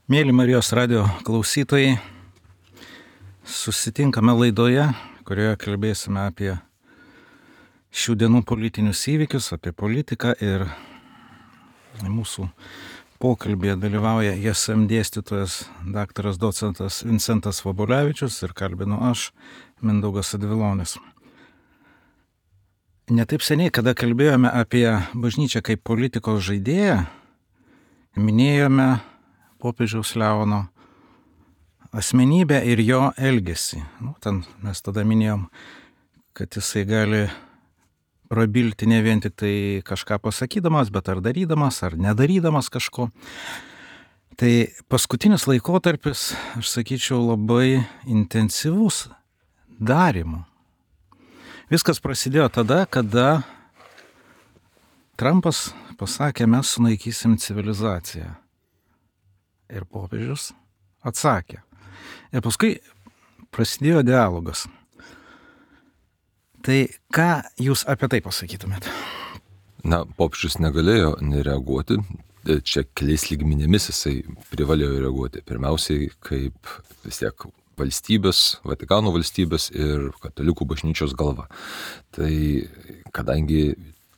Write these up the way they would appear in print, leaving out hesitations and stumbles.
Mėly Marijos radio klausytojai, susitinkame laidoje, kurioje kalbėsime apie šių dienų politinius įvykius, apie politiką ir mūsų pokalbėje dalyvauja JSM dėstytojas daktaras docentas Vincentas Vabulevičius ir kalbinu aš, Mindaugas Advilonis. Netaip seniai, kada kalbėjome apie bažnyčią kaip politikos žaidėją, minėjome popiežiaus Leono asmenybę ir jo elgesį. Ten mes tada minėjom, kad jisai gali prabilti ne vien tik tai kažką pasakydamas, bet ar darydamas, ar nedarydamas kažko. Tai paskutinis laikotarpis, aš sakyčiau, labai intensyvus darymu. Viskas prasidėjo tada, kada Trumpas pasakė, mes sunaikysim civilizaciją. Ir popiežius atsakė. Ir paskui prasidėjo dialogas. Tai ką jūs apie tai pasakytumėt? Popiežius negalėjo nereaguoti. Čia keliais lygmenimis jisai privalėjo reaguoti. Pirmiausiai kaip vis tiek valstybės, Vatikano valstybės ir katalikų bažnyčios galva. Tai kadangi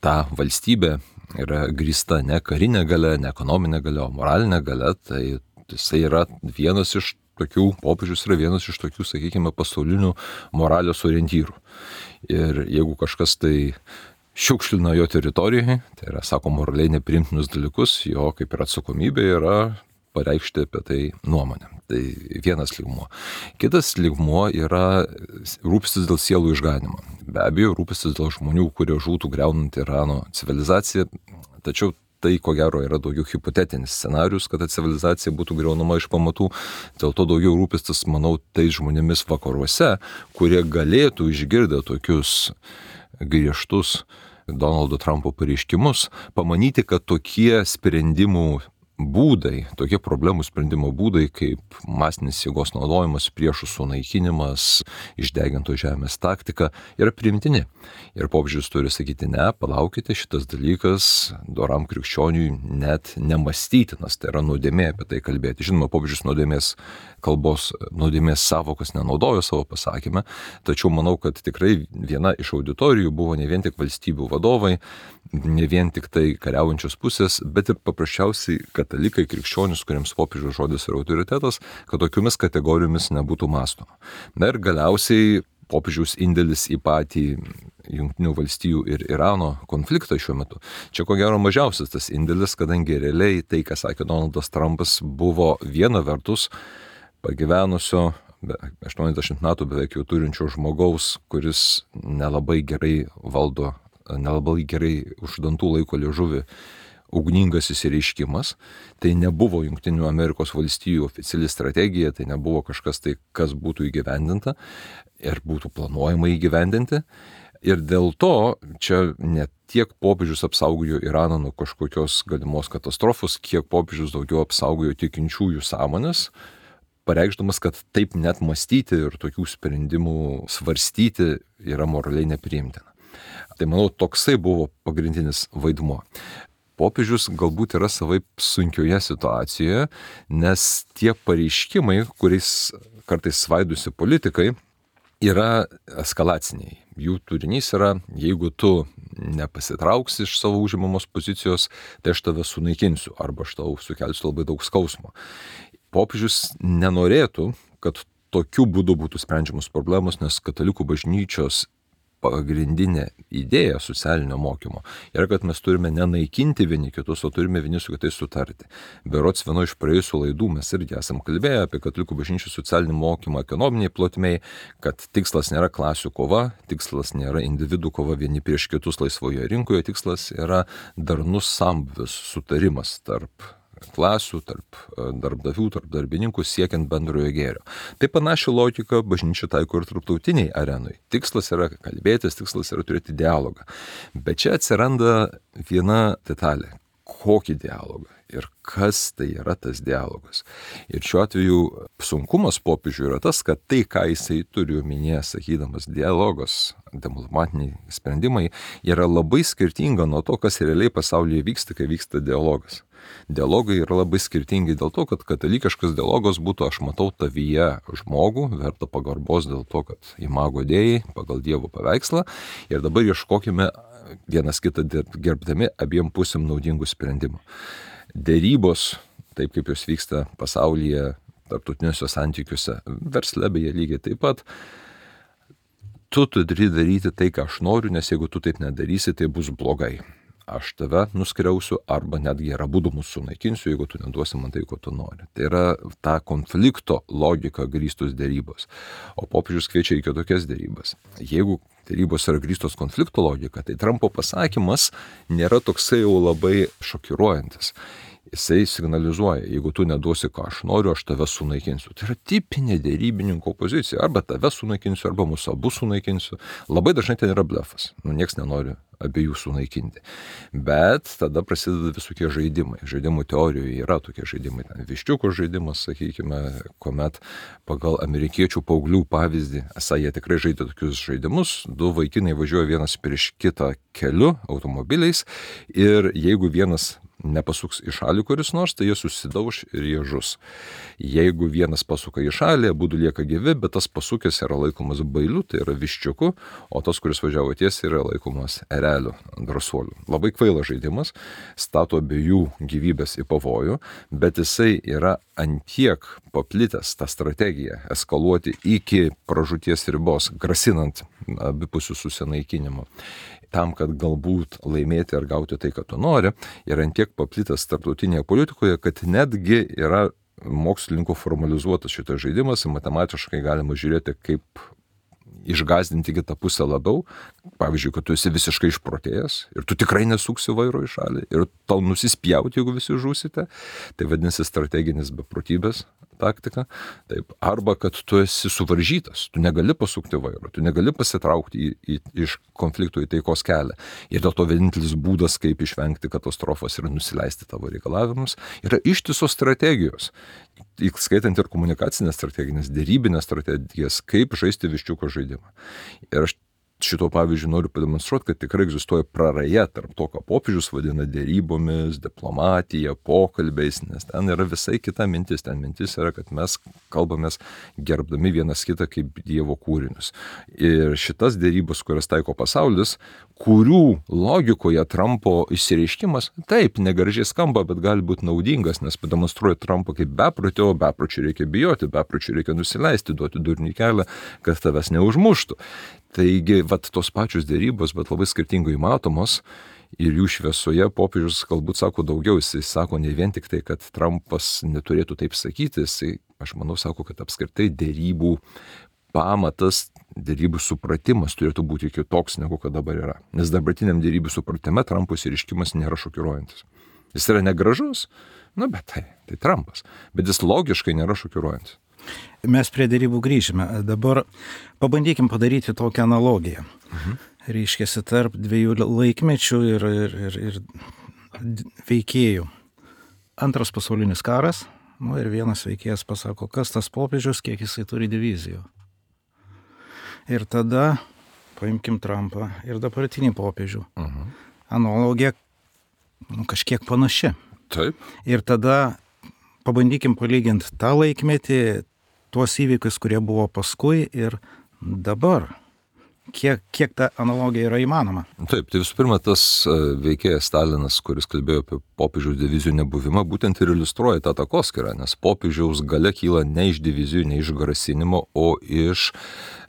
ta valstybė yra grįsta ne karinė galia, ne ekonominė galia, o moralinė galia, tai jisai yra vienas iš tokių, popiežius yra vienas iš tokių, sakykime, pasaulinių moralės orientyrų. Ir jeigu kažkas tai šiukšlina jo teritorijoje, tai yra, sako, moraliai nepriimtinus dalykus, jo kaip ir atsakomybė yra pareikšti apie tai nuomonę. Tai vienas lygmuo. Kitas lygmuo yra rūpestis dėl sielų išganimo. Be abejo, rūpestis dėl žmonių, kurie žūtų griaunant Irano civilizaciją, tačiau tai, ko gero, yra daugiau hipotetinis scenarius, kad ta civilizacija būtų griaunama iš pamatų. Dėl to daugiau rūpestis, manau, tais žmonėmis vakaruose, kurie galėtų išgirdę tokius griežtus Donaldo Trumpo pareiškimus, pamanyti, kad tokie sprendimų būdai, tokie problemų sprendimo būdai, kaip masinis jėgos naudojimas, priešų sunaikinimas, išdegintos žemės taktika, yra priimtini. Ir popiežius turi sakyti, ne, palaukite, šitas dalykas doram krikščioniui net nemastytinas, tai yra nuodėmė apie tai kalbėti. Žinoma, popiežius nuodėmės savokos nenaudojo savo pasakymę, tačiau manau, kad tikrai viena iš auditorijų buvo ne vien tik valstybių vadovai, ne vien tik tai kariaujančios pusės, bet ir paprasčiausiai katalikai, krikščionys, kuriems popiežiaus žodis yra autoritetas, kad tokiomis kategorijomis nebūtų mąstoma. Na ir galiausiai popiežiaus indėlis į patį Jungtinių valstijų ir Irano konfliktą šiuo metu. Čia ko gero mažiausias tas indėlis, kadangi realiai tai, ką sakė Donaldas Trumpas, buvo viena vertus pagyvenusio 80 metų beveik jau turinčio žmogaus, kuris nelabai gerai valdo, nelabai gerai už dantų laiko liežuvį, ugningas įsireiškimas. Tai nebuvo Jungtinių Amerikos valstijų oficiali strategija, tai nebuvo kažkas tai, kas būtų įgyvendinta ir būtų planuojama įgyvendinti. Ir dėl to čia ne tiek popiežius apsaugojo Iraną nuo kažkokios galimos katastrofos, kiek popiežius daugiau apsaugojo tikinčiųjų sąmonės, pareikšdamas, kad taip net mąstyti ir tokių sprendimų svarstyti yra moraliai nepriimtina. Tai manau, toksai buvo pagrindinis vaidmuo. Popiežius galbūt yra savaip sunkioje situacijoje, nes tie pareiškimai, kuriais kartais svaidosi politikai, yra eskalaciniai. Jų turinys yra, jeigu tu nepasitrauksi iš savo užimamos pozicijos, tai aš tave sunaikinsiu arba aš tau sukelsiu labai daug skausmo. Popiežius nenorėtų, kad tokiu būdu būtų sprendžiamos problemos, nes katalikų bažnyčios pagrindinė idėja socialinio mokymo yra, kad mes turime nenaikinti vieni kitus, o turime vieni su kitais sutarti. Berods vieno iš praėjusių laidų mes irgi esam kalbėję apie katalikų bažnyčios socialinį mokymą ekonominiai plotmei, kad tikslas nėra klasių kova, tikslas nėra individų kova vieni prieš kitus laisvoje rinkoje, tikslas yra darnus sambūvis, sutarimas tarp klasių, tarp darbdavių, tarp darbininkų siekiant bendrojo gėrio. Tai panaši logika bažnyčia taiko ir tarptautiniai arenui. Tikslas yra kalbėtis, tikslas yra turėti dialogą. Bet čia atsiranda viena detalė. Kokį dialogą? Ir kas tai yra tas dialogas. Ir šiuo atveju sunkumas popiežiui yra tas, kad tai, ką jisai turi omenyje, sakydamas dialogas, diplomatiniai sprendimai, yra labai skirtinga nuo to, kas realiai pasaulyje vyksta, kai vyksta dialogas. Dialogai yra labai skirtingi dėl to, kad katalikiškas dialogas būtų aš matau tavyje žmogų, verta pagarbos dėl to, kad imago Dei pagal Dievo paveikslą ir dabar ieškokime vienas kitą gerbdami abiem pusėm naudingų sprendimų. Dėrybos, taip kaip jos vyksta pasaulyje, tarptautiniuose santykiuose, versle beje lygiai taip pat, tu turi daryti tai, ką aš noriu, nes jeigu tu taip nedarysi, tai bus blogai. Aš tave nuskriausiu arba netgi ir abudu mūsų sunaikinsiu, jeigu tu neduosi man tai, ko tu nori. Tai yra ta konflikto logika grįstos dėrybos. O popiežius kviečia į kitokias dėrybas. Jeigu dėrybos yra grįstos konflikto logika, tai Trumpo pasakymas nėra toksai jau labai šokiruojantis. Jisai signalizuoja, jeigu tu neduosi, ką aš noriu, aš tave sunaikinsiu. Tai yra tipinė dėrybininko pozicija. Arba tave sunaikinsiu, arba mūsų abu sunaikinsiu. Labai dažnai ten yra blefas. Nieks nenori abiejų sunaikinti. Bet tada prasideda visokie žaidimai. Žaidimų teorijoje yra tokie žaidimai. Ten viščiuko žaidimas, sakykime, kuomet pagal amerikiečių paauglių pavyzdį, esą jie tikrai žaidė tokius žaidimus. Du vaikinai važiuoja vienas prieš kitą keliu automobiliais ir jeigu vienas nepasuks į šalį kuris nors, tai jie susidauš ir jie žus. Jeigu vienas pasuka į šalį, abudu lieka gyvi, bet tas pasukęs yra laikomas bailiu, tai yra viščiuku, o tas, kuris važiavo tiesiai, yra laikomas ereliu, drąsuoliu. Labai kvailas žaidimas, stato abiejų gyvybės į pavojų, bet jisai yra antiek paplitęs tą strategiją eskaluoti iki pražūties ribos, grasinant abipusių susinaikinimų. Tam, kad galbūt laimėti ar gauti tai, ką tu nori, yra antiek paplitęs tarptautinėje politikoje, kad netgi yra mokslininkų formalizuotas šitas žaidimas, matematiškai galima žiūrėti, kaip išgąsdinti kitą pusę labiau. Pavyzdžiui, kad tu esi visiškai išprotėjęs ir tu tikrai nesuksi vairo į šalį ir tau nusispjauti, jeigu visi žūsite. Tai vadinasi strateginis beprotybės taktika. Taip. Arba kad tu esi suvaržytas, tu negali pasukti vairo, tu negali pasitraukti iš konfliktų į taikos kelią. Ir dėl to vienintelis būdas, kaip išvengti katastrofos ir nusileisti tavo reikalavimus, yra ištisos strategijos. Skaitant ir komunikacinės strategijas, dėrybinės strategijas, kaip žaisti viščiuko žaidimą. Ir aš šito pavyzdžiui noriu pademonstruoti, kad tikrai egzistuoja praraja tarp to, ką popiežius vadina dėrybomis, diplomatija, pokalbiais, nes ten yra visai kita mintis. Ten mintis yra, kad mes kalbamės gerbdami vienas kitą kaip Dievo kūrinius. Ir šitas dėrybos, kurias taiko pasaulis, kurių logikoje Trumpo išsireiškimas, taip, negražiai skamba, bet gali būti naudingas, nes pademonstruoja Trumpą kaip beprotį, o bepročių reikia bijoti, bepročių reikia nusileisti, duoti durnių kelią, kad tavęs neužmuštų. Taigi, vat tos pačios dėrybos, bet labai skirtingai matomos ir jų šviesoje popiežius galbūt sako daugiau, jisai sako ne vien tik tai, kad Trumpas neturėtų taip sakyti, jisai, aš manau, sako, kad apskritai dėrybų pamatas, dėrybų supratimas turėtų būti kitoks, negu kad dabar yra. Nes dabartiniam dėrybų supratime Trumpo išsireiškimas nėra šokiruojantis. Jis yra negražus, bet tai Trumpas, bet jis logiškai nėra šokiruojantis. Mes prie dėrybų grįžime. Dabar pabandykim padaryti tokią analogiją. Reiškiasi tarp dviejų laikmečių ir veikėjų. Antras pasaulinis karas, ir vienas veikėjas pasako, kas tas popiežius, kiek jisai turi divizijų. Ir tada paimkim Trumpą ir dabartinį popiežių. Analogija kažkiek panaši. Taip. Ir tada pabandykim palyginti tą laikmetį, tuos įvykius, kurie buvo paskui ir dabar. Kiek ta analogija yra įmanoma? Taip, tai visų pirma, tas veikėjas Stalinas, kuris kalbėjo apie popiežiaus divizijų nebuvimą, būtent ir iliustruoja tą takoskyrą, nes popiežiaus galia kyla ne iš divizijų, ne iš grasinimo, o iš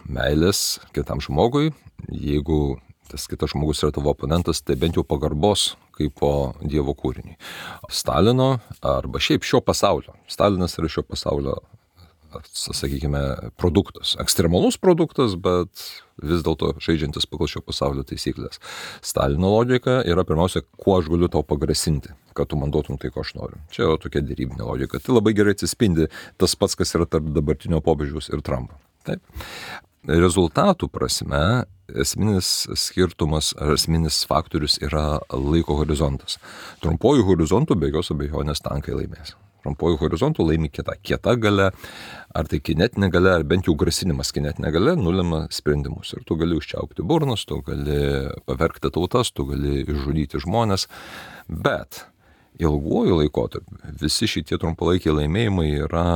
meilės kitam žmogui. Jeigu tas kitas žmogus yra tavo oponentas, tai bent jau pagarbos kaip po Dievo kūriniui. Stalino arba šiaip šio pasaulio. Stalinas yra šio pasaulio, sakykime, produktas. Ekstremalus produktas, bet vis dėlto žaidžiantis pagal šio pasaulio taisyklės. Stalino logika yra pirmiausia, kuo aš galiu tau pagrasinti, kad tu man duotum tai, ko aš noriu. Čia yra tokia dėrybinė logika. Tai labai gerai atsispindi tas pats, kas yra tarp dabartinio popiežiaus ir Trumpo. Taip. Rezultatų prasme esminis skirtumas ar esminis faktorius yra laiko horizontas. Trumpuoju horizontu be jokios abejonės tankai laimės. Trumpuoju horizontu laimi kieta galia, ar tai kinetinė galia, ar bent jau grasinimas kinetinė galia nulemia sprendimus. Ir tu gali užčiaupti burnas, tu gali pavergti tautas, tu gali išžudyti žmonės, bet ilguoju laikotarpiu visi šitie trumpalaikiai laimėjimai yra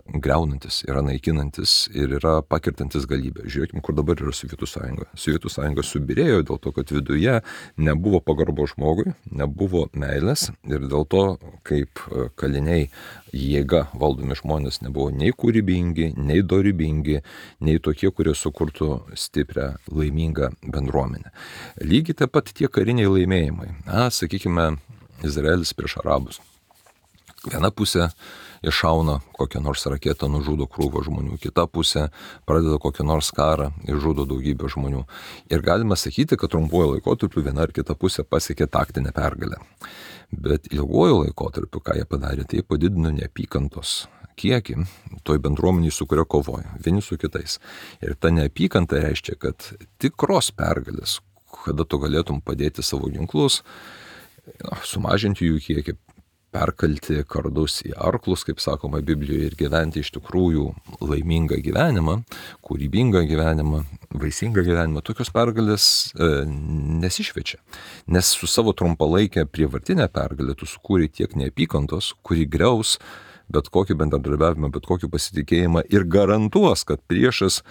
greunantis, yra naikinantis ir yra pakirtantis galybę. Žiūrėkime, kur dabar yra Sovietų sąjunga. Sovietų sąjunga subirėjo dėl to, kad viduje nebuvo pagarbo žmogui, nebuvo meilės ir dėl to, kaip kaliniai jėga valdomi žmonės nebuvo nei kūrybingi, nei dorybingi, nei tokie, kurie sukurtų stiprią, laimingą bendruomenę. Lygiai taip pat tie kariniai laimėjimai. Sakykime, Izraelis prieš arabus. Viena pusė iššauna kokią nors raketą, nužudo krūvą žmonių, kita pusė pradeda kokią nors karą ir žudo daugybę žmonių. Ir galima sakyti, kad trumpuoju laikotarpiu viena ar kita pusė pasiekė taktinę pergalę. Bet ilguoju laikotarpiu, ką jie padarė, tai padidino neapykantos kiekį toj bendruomeniai, su kuria kovoja, vieni su kitais. Ir ta neapykanta reiškia, kad tikros pergalės, kada tu galėtum padėti savo ginklus, sumažinti jų kiekį, perkalti kardus į arklus, kaip sakoma Biblijoje, ir gyventi iš tikrųjų laimingą gyvenimą, kūrybingą gyvenimą, vaisingą gyvenimą, tokios pergalės nesišviečia. Nes su savo trumpalaikė prievartinė pergalė tu sukūrė tiek neapykantos, kuri griaus bet kokį bendradarbiavimą, bet kokį pasitikėjimą ir garantuos, kad priešas,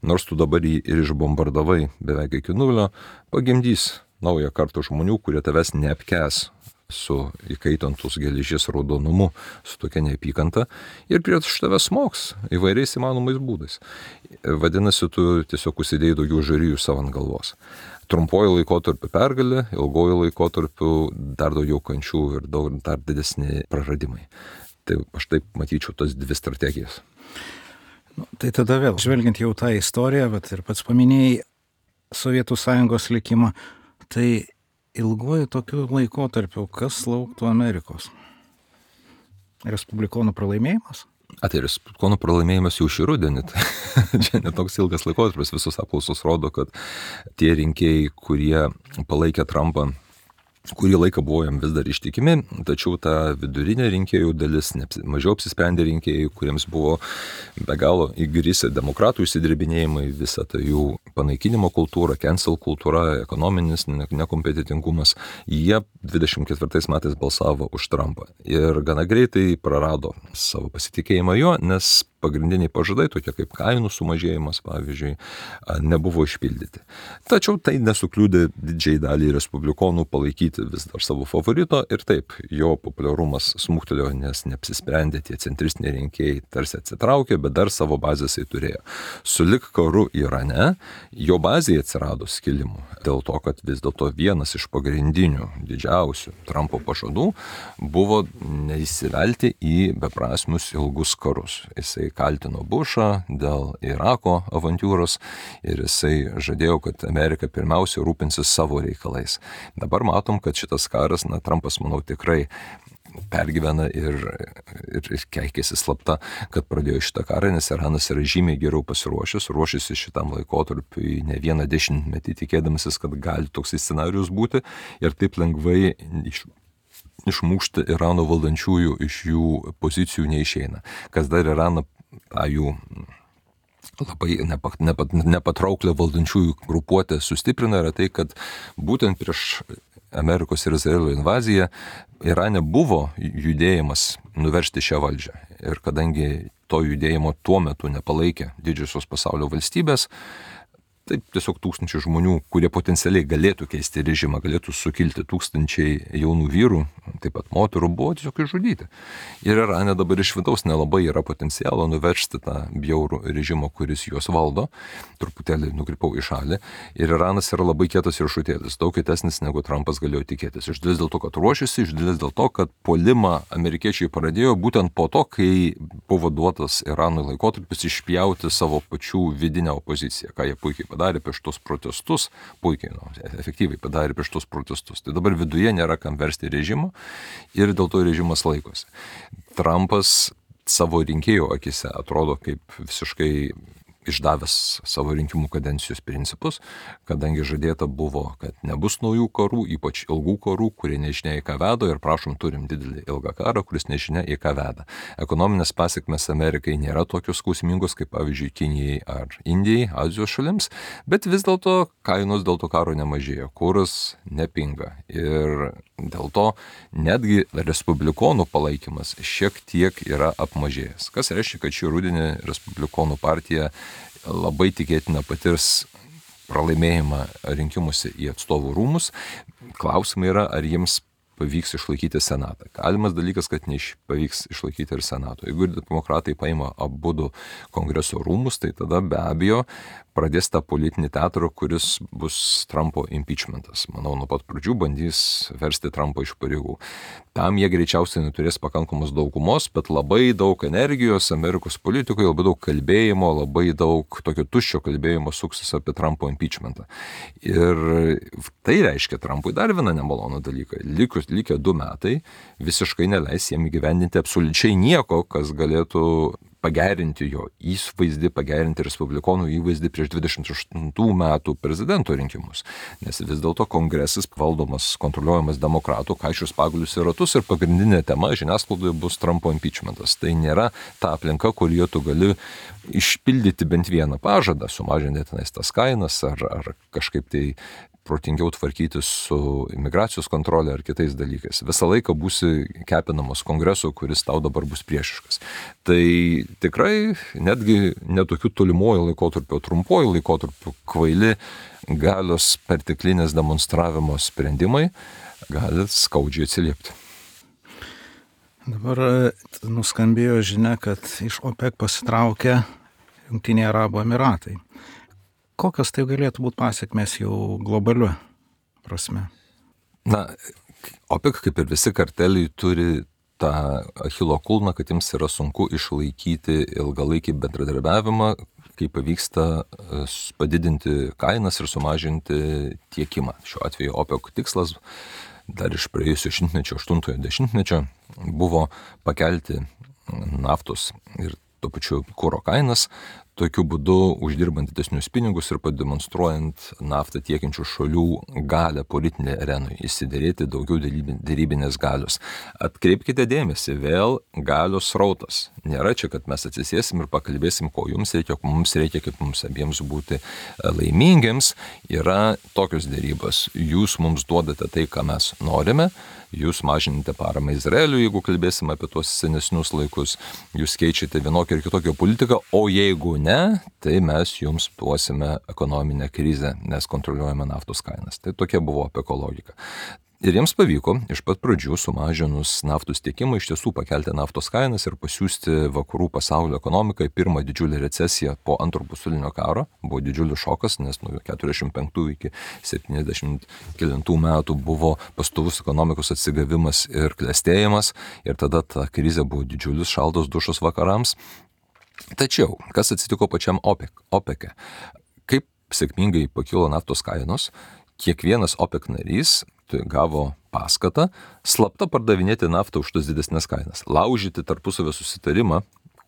nors tu dabar jį ir išbombardavai beveik iki nulio, pagimdys naują kartą žmonių, kurie tavęs neapkęs su įkaitantus geležies raudonumu, su tokia neapykanta ir prieš tave smogs įvairiais įmanomais būdais. Vadinasi, tu tiesiog užsidėjai daugiau žarijų savo ant galvos. Trumpuoju laikotarpiu pergalė, ilgoju laikotarpiu dar daugiau kančių ir dar didesni praradimai. Tai aš taip matyčiau tas dvi strategijas. Tai tada vėl, žvelgiant jau tą istoriją, bet ir pats paminėjai Sovietų sąjungos likimą, tai ilguoju tokiu laikotarpiu, kas lauktų Amerikos? Respublikonų pralaimėjimas? Tai respublikonų pralaimėjimas jau šį rudenį. Čia netoks ilgas laikotarpis, visos apklausos rodo, kad tie rinkėjai, kurie palaikė Trumpą, kurį laiką buvo jam vis dar ištikimi, tačiau ta vidurinė rinkėjų dalis, mažiau apsisprendę rinkėjai, kuriems buvo be galo įgrisę demokratų įsidirbinėjimai, visa ta jų panaikinimo kultūra, cancel kultūra, ekonominis nekompetitingumas, jie 24 metais balsavo už Trumpą. Ir gana greitai prarado savo pasitikėjimą jo, nes pagrindiniai pažadai, tokie kaip kainų sumažėjimas, pavyzdžiui, nebuvo išpildyti. Tačiau tai nesukliūdė didžiai dalį respublikonų palaikyti vis dar savo favorito ir taip, jo populiarumas smuktelėjo, nes neapsisprendė, tie centristiniai rinkėjai tarsi atsitraukė, bet dar savo bazės jis turėjo. Sulig karu Irane, jo bazėje atsirado skilimų. Dėl to, kad vis dėlto vienas iš pagrindinių, didžiausių Trumpo pažadų buvo neįsivelti į beprasmius ilgus karus. Jisai kaltino Bušą dėl Irako avantiūros ir jisai žadėjo, kad Amerika pirmiausia rūpinsis savo reikalais. Dabar matom, kad šitas karas, Trumpas, manau, tikrai pergyvena ir keikėsi slapta, kad pradėjo šitą karą, nes Iranas yra žymiai geriau pasiruošęs, ruošėsi šitam laikotarpiui ne vieną dešimtmetį, tikėdamasis, kad gali toks scenarijus būti ir taip lengvai išmušti Irano valdančiųjų iš jų pozicijų neišeina. Kas dar Iraną tą jų labai nepatrauklę valdančiųjų grupuotę sustiprina, yra tai, kad būtent prieš Amerikos ir Izraelio invaziją Irane buvo judėjimas nuversti šią valdžią. Ir kadangi to judėjimo tuo metu nepalaikė didžiosios pasaulio valstybės, taip tiesiog tūkstančiai žmonių, kurie potencialiai galėtų keisti režimą, galėtų sukilti, tūkstančiai jaunų vyrų, taip pat moterų, buvo tiesiog išžudyti. Ir Irane dabar iš vidaus nelabai yra potencialo nuversti tą bjaurų režimą, kuris juos valdo, truputėlį nukrypau į šalį. Ir Iranas yra labai kietas riešutėlis, daug kietesnis negu Trumpas galėjo tikėtis. Iš dalies dėl to, kad ruošiasi, iš dalies dėl to, kad puolimą amerikiečiai pradėjo būtent po to, kai buvo duotas Iranui laikotarpis išpjauti savo pačių vidinę opoziciją, ką jie puikiai padarė prieš tos protestus, efektyviai padarė prieš tos protestus. Tai dabar viduje nėra kam versti režimo ir dėl to režimas laikosi. Trumpas savo rinkėjų akise atrodo kaip visiškai išdavęs savo rinkimų kadencijos principus, kadangi žadėta buvo, kad nebus naujų karų, ypač ilgų karų, kurie nežinia į ką veda ir prašom turim didelį ilgą karą, kuris nežinia į ką veda. Ekonominės pasiekmes Amerikai nėra tokios skausmingos kaip pavyzdžiui Kinijai ar Indijai, Azijos šalims, bet vis dėlto kainos dėl to karo nemažėjo, kuras nepinga ir dėl to netgi respublikonų palaikymas šiek tiek yra apmažėjęs. Kas reiškia, kad šį rudenį respublikonų partija labai tikėtina patirs pralaimėjimą rinkimuose į atstovų rūmus. Klausimai yra, ar jiems pavyks išlaikyti Senatą. Galimas dalykas, kad nepavyks išlaikyti ir Senato. Jeigu demokratai paima abudu kongreso rūmus, tai tada be abejo pradės tą politinį teatrą, kuris bus Trumpo impeachmentas. Manau, nuo pat pradžių bandys versti Trumpą iš pareigų. Tam jie greičiausiai neturės pakankamos daugumos, bet labai daug energijos Amerikos politikoje, labai daug kalbėjimo, labai daug tokio tuščio kalbėjimo suksis apie Trumpo impeachmentą. Ir tai reiškia Trumpui dar vieną nemalonų dalyką. Likę 2 metai visiškai neleis jiem įgyvendinti absoliučiai nieko, kas galėtų pagerinti jo įvaizdį, pagerinti respublikonų įvaizdį prieš 28 metų prezidento rinkimus. Nes vis dėlto kongresas valdomas, kontroliuojamas demokratų, kaišius pagalius į ratus ir pagrindinė tema žiniasklaidoje bus Trumpo impeachmentas. Tai nėra ta aplinka, kurioje tu gali išpildyti bent vieną pažadą, sumažinti tenais tas kainas ar kažkaip tai protingiau tvarkytis su imigracijos kontrolė ar kitais dalykais. Visą laiką būsi kepinamas kongreso, kuris tau dabar bus priešiškas. Tai tikrai netgi netokių tolimuoju laikotarpiu, trumpuoju laikotarpiu kvaili galios perteklinės demonstravimo sprendimai gali skaudžiai atsiliepti. Dabar nuskambėjo žinia, kad iš OPEC pasitraukė Jungtiniai Arabų Emiratai. Kokios tai galėtų būti pasiekmes jau globaliu prasme? Na, OPEC, kaip ir visi karteliai, turi tą Achilo kulną, kad jiems yra sunku išlaikyti ilgalaikį bendradarbiavimą, kai pavyksta padidinti kainas ir sumažinti tiekimą. Šiuo atveju OPEC tikslas dar iš praėjusio šimtmečio, 8-ojo dešimtmečio, buvo pakelti naftos ir tuo pačiu kuro kainas, tokiu būdu uždirbant didesnius pinigus ir pademonstruojant naftą tiekiančių šalių galę politinė arenui, įsiderėti daugiau dėrybinės galios. Atkreipkite dėmesį, vėl galios srautas. Nėra čia, kad mes atsisėsim ir pakalbėsim, ko jums reikia, ko mums reikia, kaip mums abiems būti laimingiams. Yra tokios dėrybos. Jūs mums duodate tai, ką mes norime. Jūs mažinate paramą Izraeliui, jeigu kalbėsim apie tuos senesnius laikus. Jūs keičiate vienokią ir kitokią politiką, o jeigu ne, tai mes jums duosime ekonominę krizę, nes kontroliuojame naftos kainas. Tai tokia buvo OPEC logika. Ir jiems pavyko iš pat pradžių sumažinus naftos tiekimą iš tiesų pakelti naftos kainas ir pasiųsti vakarų pasaulio ekonomiką į pirmą didžiulę recesiją po Antro pasaulinio karo. Buvo didžiulis šokas, nes nuo 45 iki 79 metų buvo pastovus ekonomikos atsigavimas ir klestėjimas ir tada ta krizė buvo didžiulis šaltos dušos vakarams. Tačiau, kas atsitiko pačiam OPEC? Kaip sėkmingai pakilo naftos kainos, kiekvienas OPEC narys gavo paskatą slapta pardavinėti naftą už tas didesnės kainas, laužyti tarpusavio susitarimą,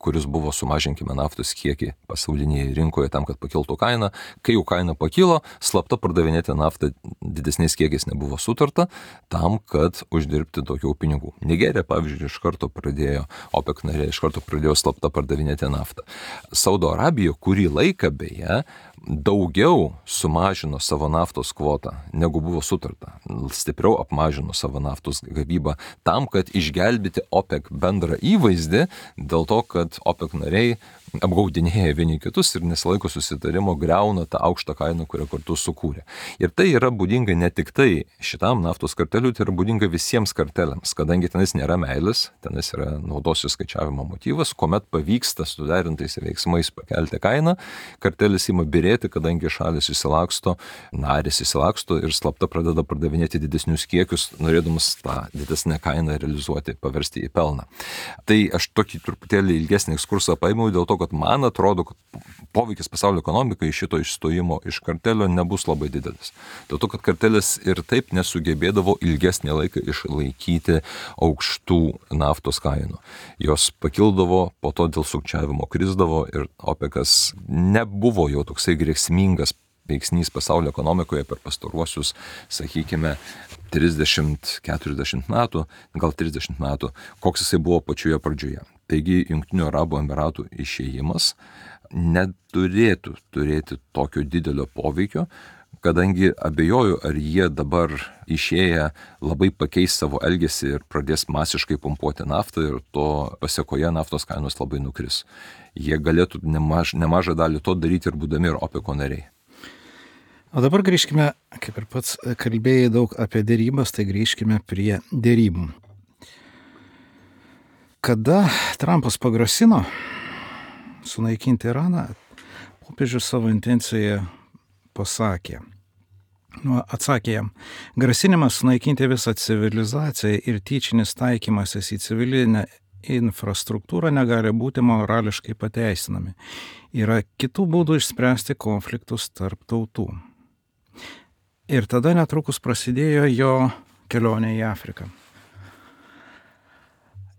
kuris buvo sumažinkime naftos kiekį pasaulinėje rinkoje tam, kad pakiltų kaina. Kai jau kaina pakilo, slapta pardavinėti naftą didesniais kiekiais nebuvo sutarta tam, kad uždirbti daugiau pinigų. Nigerija, pavyzdžiui, OPEC narė iš karto pradėjo slapta pardavinėti naftą. Saudo Arabija kurį laiką beje daugiau sumažino savo naftos kvotą, negu buvo sutarta. Stipriau apmažino savo naftos gavybą tam, kad išgelbėti OPEC bendrą įvaizdį, dėl to, kad OPEC nariai apgaudinėja vieni kitus ir nesilaiko susitarimo, griauna tą aukštą kainą, kurią kartu sukūrė. Ir tai yra būdinga ne tik tai šitam naftos karteliui, tai yra būdinga visiems karteliams, kadangi tenais nėra meilės, tenais yra naudos įskaičiavimo motyvas, kuomet pavyksta suderintais veiksmais pakelti kainą, kartelis ima birėti, kadangi šalis įsilaksto, narės įsilaksto ir slapta pradeda pardavinėti didesnius kiekius, norėdamas tą didesnę kainą realizuoti, paversti į pelną. Tai aš tokį truputėlį ilgesnį ekskursą paėmiau dėl to, kad man atrodo, kad poveikis pasaulio ekonomikai iš šito išstojimo iš kartelio nebus labai didelis. Dėl to, kad kartelis ir taip nesugebėdavo ilgesnį laiką išlaikyti aukštų naftos kainų. Jos pakildavo, po to dėl sukčiavimo krisdavo ir OPECas nebuvo jau toksai grėsmingas veiksnys pasaulio ekonomikoje per pastaruosius, sakykime, 30-40 metų, gal 30 metų, koks jisai buvo pačioje pradžioje. Taigi, Jungtinių Arabų Emiratų išėjimas neturėtų turėti tokio didelio poveikio, kadangi abejoju, ar jie dabar išėję labai pakeis savo elgesį ir pradės masiškai pumpuoti naftą ir to pasiekoje naftos kainos labai nukris. Jie galėtų nemažą dalį to daryti ir būdami ir OPECO nariai. O dabar grįžkime, kaip ir pats kalbėjai daug apie dėrybas, tai grįžkime prie dėrybų. Kada Trumpas pagrasino sunaikinti Iraną, popiežius savo intenciją atsakė jam, grasinimas sunaikinti visą civilizaciją ir tyčinis taikymasis į civilinę infrastruktūrą negali būti morališkai pateisinami. Yra kitų būdų išspręsti konfliktus tarp tautų. Ir tada netrukus prasidėjo jo kelionė į Afriką.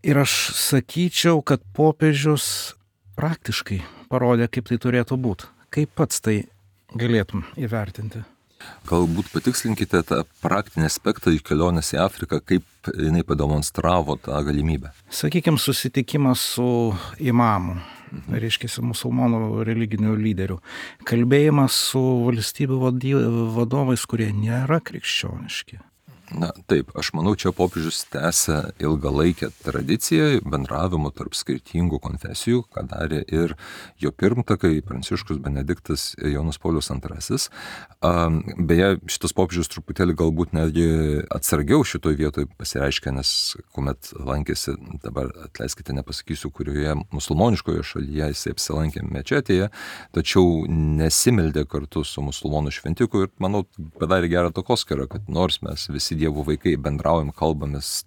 Ir aš sakyčiau, kad popiežius praktiškai parodė, kaip tai turėtų būti. Kaip pats tai galėtum įvertinti? Galbūt patikslinkite tą praktinį aspektą į kelionės į Afriką, kaip jinai pademonstravo tą galimybę. Sakykime, susitikimas su imamu, reiškia, musulmonų religinių lyderių, kalbėjimas su valstybių vadovais, kurie nėra krikščioniški. Na, taip, aš manau, čia popiežius tęsia ilgalaikę tradiciją bendravimo tarp skirtingų konfesijų, ką darė ir jo pirmtakai Pranciškus Benediktas Jonas Paulius II. Beje, šitas popiežius truputėlį galbūt netgi atsargiau šitoj vietoj pasireiškia, nes kuomet lankėsi, dabar atleiskite, nepasakysiu, kurioje musulmoniškoje šalyje jisai apsilankė mečetėje, tačiau nesimeldė kartu su musulmonų šventiku ir, manau, padarė gerą takoskyrą, kad nors mes visi Dievo vaikai bendraujam, kalbamės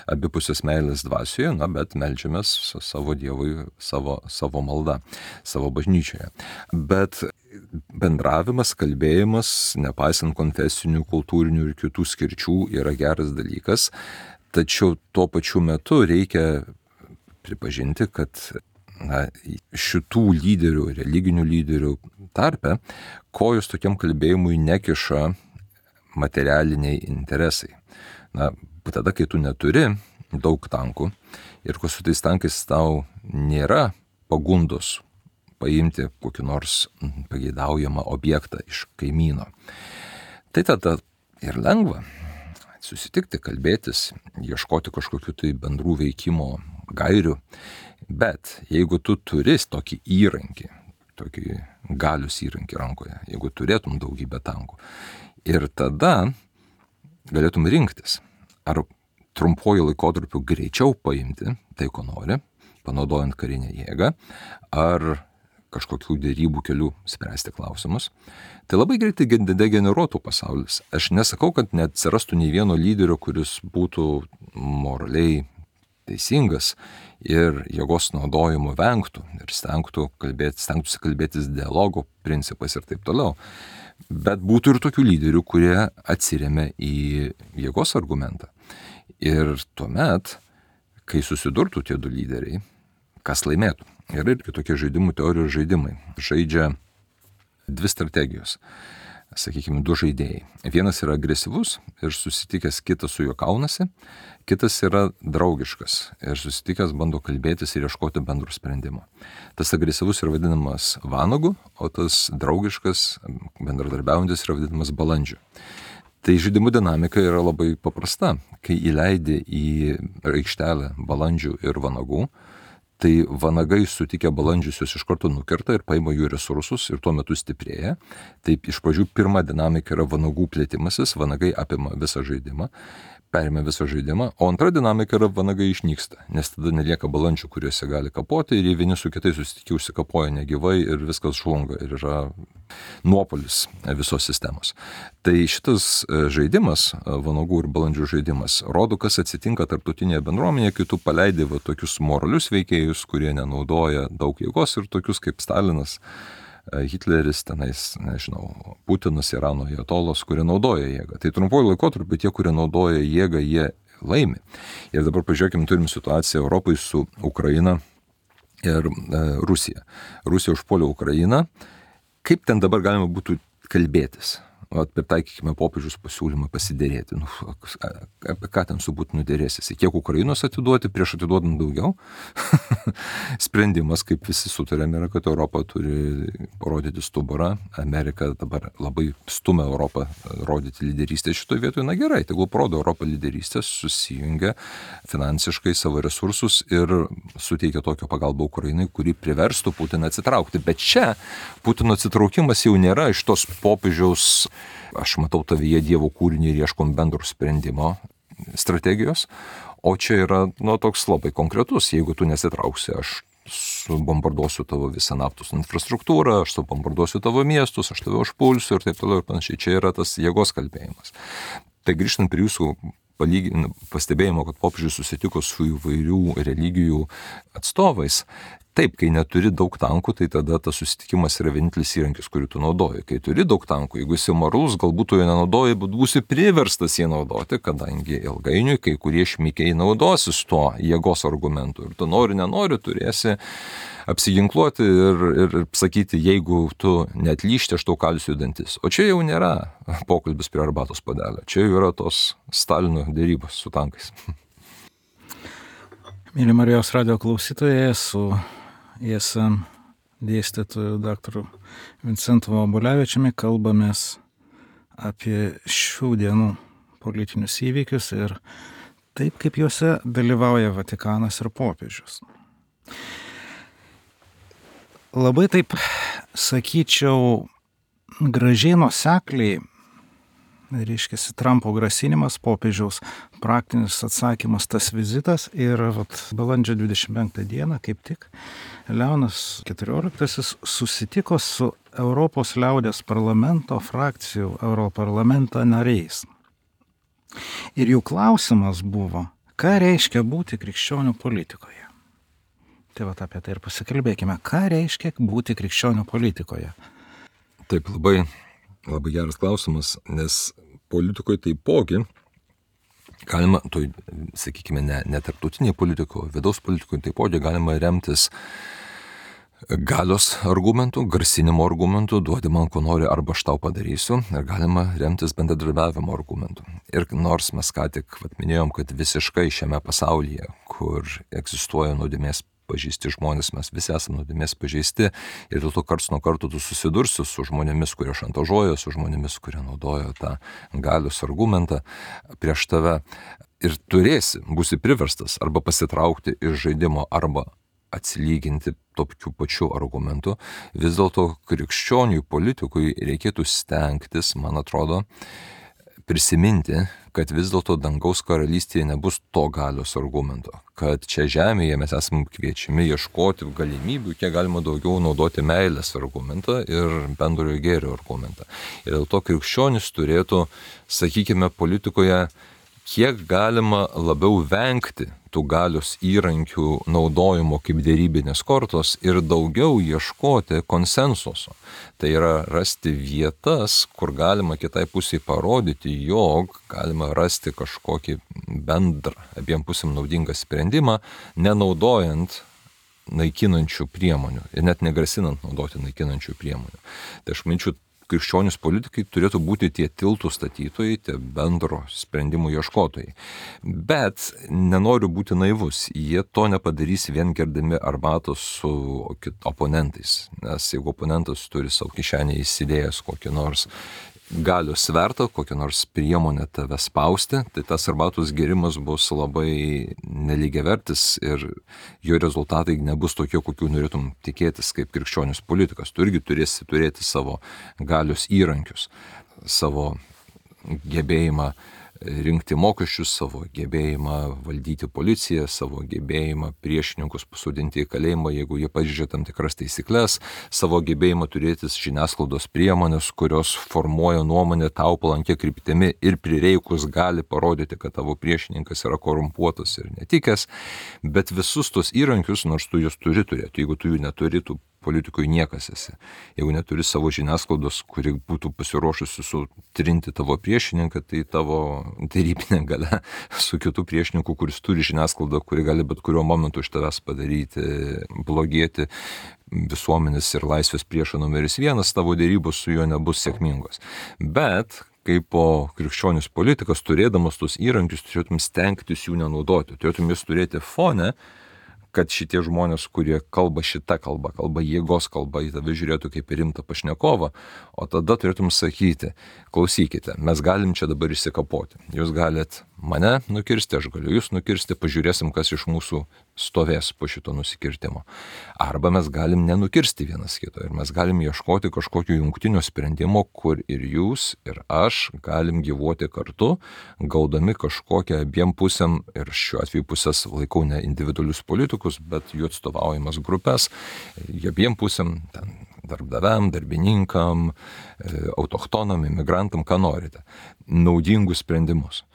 abipusės meilės dvasioje, bet meldžiamės savo Dievui savo maldą, savo bažnyčioje. Bet bendravimas, kalbėjimas, nepaisant konfesinių, kultūrinių ir kitų skirčių, yra geras dalykas, tačiau tuo pačiu metu reikia pripažinti, kad šitų lyderių, religinių lyderių tarpe, kojos tokiam kalbėjimui nekiša materialiniai interesai. Tada, kai tu neturi daug tankų ir ko su tais tankais tau nėra pagundos paimti kokį nors pageidaujamą objektą iš kaimyno, tai tada ir lengva susitikti, kalbėtis, ieškoti kažkokių tai bendrų veikimo gairių. Bet jeigu tu turi tokį įrankį, tokį galios įrankį rankoje, jeigu turėtum daugybę tankų, ir tada galėtum rinktis, ar trumpuoju laikotarpiu greičiau paimti tai, ko nori, panaudojant karinę jėgą, ar kažkokių dėrybų kelių spręsti klausimus. Tai labai greitai degeneruotų pasaulis. Aš nesakau, kad neatsirastų nei vieno lyderio, kuris būtų moraliai teisingas ir jėgos naudojimo vengtų ir stengtųsi kalbėtis dialogo principais ir taip toliau. Bet būtų ir tokių lyderių, kurie atsiremia į jėgos argumentą. Ir tuomet, kai susidurtų tie du lyderiai, kas laimėtų? Yra irgi tokie žaidimų teorijos žaidimai. Žaidžia dvi strategijos, sakykime, du žaidėjai. Vienas yra agresyvus ir susitikęs kitas su juo kaunasi, kitas yra draugiškas ir susitikęs bando kalbėtis ir ieškoti bendro sprendimo. Tas agresyvus yra vadinamas vanagu, o tas draugiškas, bendradarbiaujantis yra vadinamas balandžiu. Tai žaidimų dinamika yra labai paprasta. Kai įleidi į aikštelę balandžių ir vanagų, tai vanagai sutikę balandžius juos iš karto nukerta ir paima jų resursus ir tuo metu stiprėja. Taip, iš pradžių pirma dinamika yra vanagų plėtimasis, vanagai apima visą žaidimą, perima visą žaidimą, o antra dinamika yra vanagai išnyksta, nes tada nelieka balandžių, kuriuose gali kapoti ir jie vieni su kitais susitikę užsikapoja negyvai ir viskas žlunga ir yra nuopolis visos sistemos. Tai šitas žaidimas, vanagų ir balandžių žaidimas, rodo, kas atsitinka tarptautinėje bendruomenėje, kai tu paleidi tokius moralius veikėjus, kurie nenaudoja daug jėgos, ir tokius kaip Stalinas, Hitleris, tenais, nežinau, Putinas, Irano ajatolos, kurie naudoja jėgą. Tai trumpuoju laikotarpiu tie, kurie naudoja jėgą, jie laimi. Ir dabar pažiūrėkime, turim situaciją Europai su Ukraina ir Rusija. Rusija užpuolė Ukrainą. Kaip ten dabar galima būtų kalbėtis? Pritaikykime popiežiaus pasiūlymą pasiderėti. Apie ką ten su Putinu derėsis? Kiek Ukrainos atiduoti prieš atiduodant daugiau? Sprendimas, kaip visi sutarėme, yra, kad Europa turi parodyti stuburą. Amerika dabar labai stumia Europą rodyti lyderystę šitoje vietoje. Na gerai, tegul parodo Europą lyderystę, susijungia finansiškai savo resursus ir suteikia tokią pagalbą Ukrainai, kuri priverstų Putiną atsitraukti. Bet čia Putino atsitraukimas jau nėra iš tos popiežiaus aš matau tavyje Dievo kūrinį ir ieškom bendro sprendimo strategijos, o čia yra toks labai konkretus. Jeigu tu nesitrauksi, aš subombarduosiu tavo visą naftos infrastruktūrą, aš subombarduosiu tavo miestus, aš tave užpulsiu ir taip toliau ir panašiai. Čia yra tas jėgos kalbėjimas. Tai grįžtant prie jūsų pastebėjimo, kad popiežius susitiko su įvairių religijų atstovais. Taip, kai neturi daug tankų, tai tada tas susitikimas yra vienintelis įrankis, kurį tu naudoji. Kai turi daug tankų, jeigu esi moralus, galbūt tu jo nenaudoji, bet būsi priverstas jį naudoti, kadangi ilgainiui kai kurie šmikiai naudosis tuo jėgos argumentu. Ir tu nenori, turėsi apsiginkluoti ir sakyti, jeigu tu neatlyžti, aš tau kalsiu dantis. O čia jau nėra pokalbis prie arbatos puodelio. Čia jau yra tos Stalino dėrybos su tankais. Mėly Marijos radijo klausytojai, su ISM dėstytoju daktaru Vincentu Vobulevičiumi kalbamės apie šių dienų politinius įvykius ir taip, kaip juose dalyvauja Vatikanas ir popiežius. Labai taip, sakyčiau, gražiai nuosekliai, reiškiasi Trumpo grasinimas, popiežiaus praktinis atsakymas, tas vizitas ir balandžio 25 dieną, kaip tik, Leonas XIV susitiko su Europos liaudės parlamento frakcijų Europarlamento nariais. Ir jų klausimas buvo, ką reiškia būti krikščionių politikoje. Tai apie tai ir pasikalbėkime, ką reiškia būti krikščionių politikoje. Taip, labai geras klausimas, nes politikoje taipogi galima, sakykime, ne tarptautinėje politikoje, vidaus politikoje taipogi galima remtis galios argumentų, grasinimo argumentų, duodi man ko nori arba aš tau padarysiu, ir galima remtis bendradarbiavimo argumentų. Ir nors mes ką tik minėjom, kad visiškai šiame pasaulyje, kur egzistuoja nuodėmės pažeisti žmonės, mes visi esame nuodėmės pažeisti ir dėl to karts nuo karto tu susidursi su žmonėmis, kurie šantažuoja, su žmonėmis, kurie naudoja tą galios argumentą prieš tave ir būsi priverstas arba pasitraukti iš žaidimo arba atsilyginti tokiu pačiu argumentu. Vis dėlto krikščioniui politikui reikėtų stengtis, man atrodo, prisiminti, kad vis dėlto dangaus karalystėje nebus to galios argumento, kad čia žemėje mes esame kviečiami ieškoti galimybių, kiek galima daugiau naudoti meilės argumentą ir bendrojo gėrio argumentą. Ir dėl to krikščionis turėtų, sakykime, politikoje kiek galima labiau vengti tų galios įrankių naudojimo kaip dėrybinės kortos ir daugiau ieškoti konsensuso. Tai yra rasti vietas, kur galima kitai pusiai parodyti, jog galima rasti kažkokį bendrą, abiem pusėm naudingą sprendimą, nenaudojant naikinančių priemonių ir net negrasinant naudoti naikinančių priemonių. Tai aš manyčiau, krikščionys politikai turėtų būti tie tiltų statytojai, tie bendro sprendimų ieškotojai. Bet nenoriu būti naivus, jie to nepadarys vien gerdami arbatos su oponentais, nes jeigu oponentas turi savo kišenėje įsidėjęs kokį nors galios svertą, kokią nors priemonę tave spausti, tai tas arbatos gėrimas bus labai nelygiavertis ir jo rezultatai nebus tokie, kokių norėtum tikėtis kaip krikščionis politikas. Tu irgi turėsi turėti savo galios įrankius, savo gebėjimą rinkti mokesčius, savo gebėjimą valdyti policiją, savo gebėjimą priešininkus pasodinti į kalėjimą, jeigu jie pažeidžia tam tikras taisyklės, savo gebėjimą turėti žiniasklaidos priemonės, kurios formuoja nuomonę tau palankia kryptimi ir prireikus gali parodyti, kad tavo priešininkas yra korumpuotas ir netikęs, bet visus tos įrankius, nors tu juos turi turėti, jeigu tu jų neturi, tu politikui niekas esi. Jeigu neturi savo žiniasklaidos, kuri būtų pasiruošusi sutrinti tavo priešininką, tai tavo darybinė galia su kitu priešininku, kuris turi žiniasklaidą, kuri gali bet kuriuo momentu iš tavęs padaryti, blogėti visuomenės ir laisvės priešą numeris 1, tavo darybos su juo nebus sėkmingos. Bet kaip po krikščionis politikas, turėdamas tos įrankius, turėtum stengtis jų nenaudoti, turėtum jas turėti fone, kad šitie žmonės, kurie kalba šitą kalbą, kalba jėgos kalbą, į tave žiūrėtų kaip į rimtą pašnekovą, o tada turėtum sakyti, klausykite, mes galim čia dabar išsikapoti, jūs galit mane nukirsti, aš galiu jūs nukirsti, pažiūrėsim, kas iš mūsų stovės po šito nusikirtimo. Arba mes galim nenukirsti vienas kito ir mes galim ieškoti kažkokio jungtinio sprendimo, kur ir jūs, ir aš galim gyvuoti kartu, gaudami kažkokią abiem pusėm, ir šiuo atveju pusės laikau ne individualius politikus, bet jų atstovaujamas grupės, abiem pusėm, ten, darbdaviam, darbininkam, autochtonam, imigrantam, ką norite, naudingus sprendimus.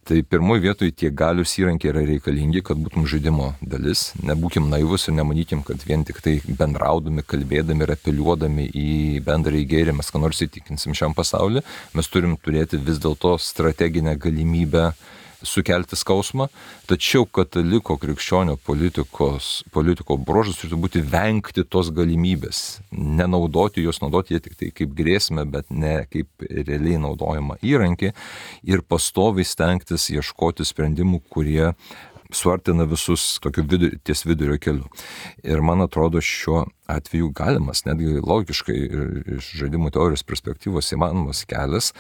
Tai pirmoji vietoje tie galius įrankiai yra reikalingi, kad būtum žaidimo dalis. Nebūkim naivus ir nemanykim, kad vien tik tai bendraudami, kalbėdami ir apeliuodami į bendrąjį gėrį mes ką nors įtikinsim šiam pasauliu. Mes turim turėti vis dėlto strateginę galimybę sukelti skausmą, tačiau kataliko krikščionio politiko bruožas turėtų būti vengti tos galimybės, nenaudoti jos, naudoti jie tik tai kaip grėsmę, bet ne kaip realiai naudojama įrankį ir pastoviai stengtis ieškoti sprendimų, kurie suartina visus tokiu ties vidurio keliu. Ir man atrodo, šiuo atveju galimas, netgi logiškai iš žaidimų teorijos perspektyvos įmanomas kelias,